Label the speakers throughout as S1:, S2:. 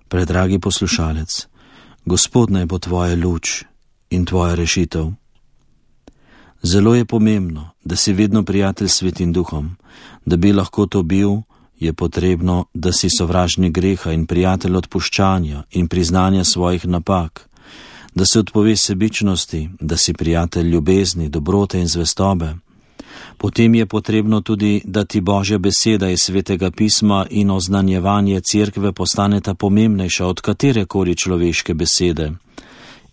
S1: Predragi poslušalec, Gospod naj bo tvoja luč in tvoja rešitev. Zelo je pomembno, da si vedno prijatelj s Svetim Duhom. Da bi lahko to bil, je potrebno, da si sovražnik greha in prijatelj odpuščanja in priznanja svojih napak, da se odpoveš sebičnosti, da si prijatelj ljubezni, dobrote in zvestobe. Potem je potrebno tudi, da ti Božja beseda iz Svetega pisma in oznanjevanje cerkve postaneta pomembnejša od katerekoli človeške besede.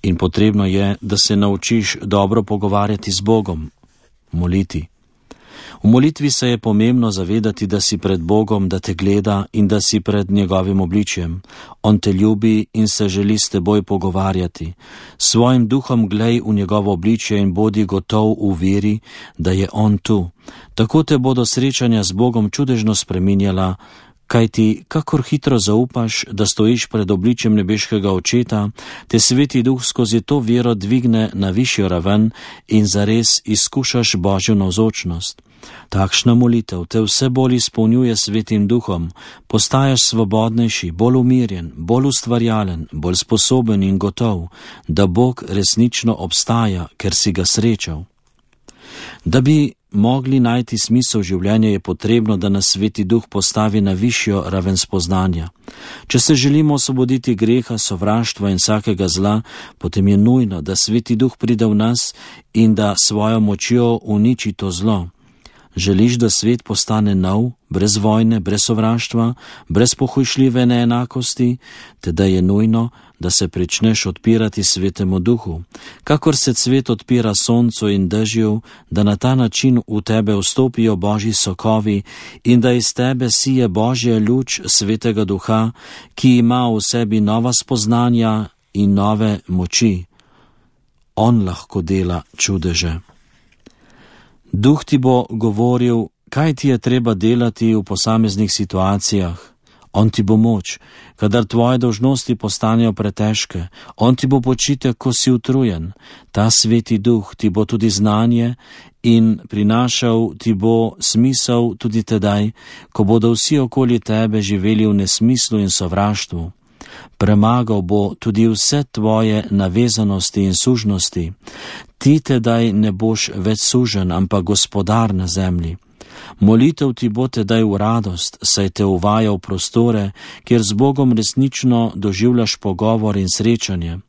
S1: In potrebno je, da se naučiš dobro pogovarjati z Bogom, moliti. V molitvi se je pomembno zavedati, da si pred Bogom, da te gleda in da si pred njegovim obličjem. On te ljubi in se želi s teboj pogovarjati. Svojim duhom glej v njegovo obličje in bodi gotov v veri, da je on tu. Tako te bodo srečanja z Bogom čudežno spreminjala, kaj ti, kakor hitro zaupaš, da stojiš pred obličjem nebeškega Očeta, te Sveti Duh skozi to vero dvigne na višjo raven in zares izkušaš Božjo navzočnost. Takšna molitev te vse bolj izpolnjuje Svetim Duhom, postaješ svobodnejši, bolj umirjen, bolj ustvarjalen, bolj sposoben in gotov, da Bog resnično obstaja, ker si ga srečal. Da bi mogli najti smisel življenja, je potrebno, da nas Sveti Duh postavi na višjo raven spoznanja. Če se želimo osvoboditi greha, sovraštva in vsakega zla, potem je nujno, da Sveti Duh pride v nas in da svojo močjo uniči to zlo. Želiš, da svet postane nov, brez vojne, brez sovraštva, brez pohujšljive neenakosti, teda je nujno, da se pričneš odpirati Svetemu Duhu, kakor se cvet odpira soncu in dežju, da na ta način v tebe vstopijo Božji sokovi in da iz tebe sije Božja luč Svetega Duha, ki ima v sebi nova spoznanja in nove moči. On lahko dela čudeže. Duh ti bo govoril, kaj ti je treba delati v posameznih situacijah. On ti bo moč, kadar tvoje dolžnosti postanejo pretežke. On ti bo počitek, ko si utrujen. Ta Sveti Duh ti bo tudi znanje in prinašal ti bo smisel tudi tedaj, ko bodo vsi okoli tebe živeli v nesmislu in sovraštvu. Premagal bo tudi vse tvoje navezanosti in sužnosti. Ti tedaj ne boš več sužen, ampak gospodar na zemlji. Molitev ti bo tedaj v radost, saj te uvaja v prostore, kjer z Bogom resnično doživljaš pogovor in srečanje.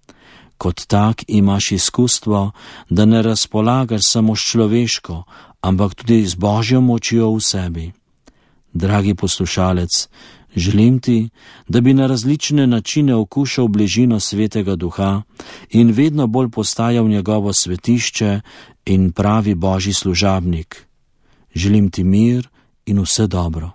S1: Kot tak imaš izkustvo, da ne razpolagaš samo s človeško, ampak tudi z Božjo močjo v sebi. Dragi poslušalec, želim ti, da bi na različne načine okušal bližino Svetega Duha in vedno bolj postajal njegovo svetišče in pravi Božji služabnik. Želim ti mir in vse dobro.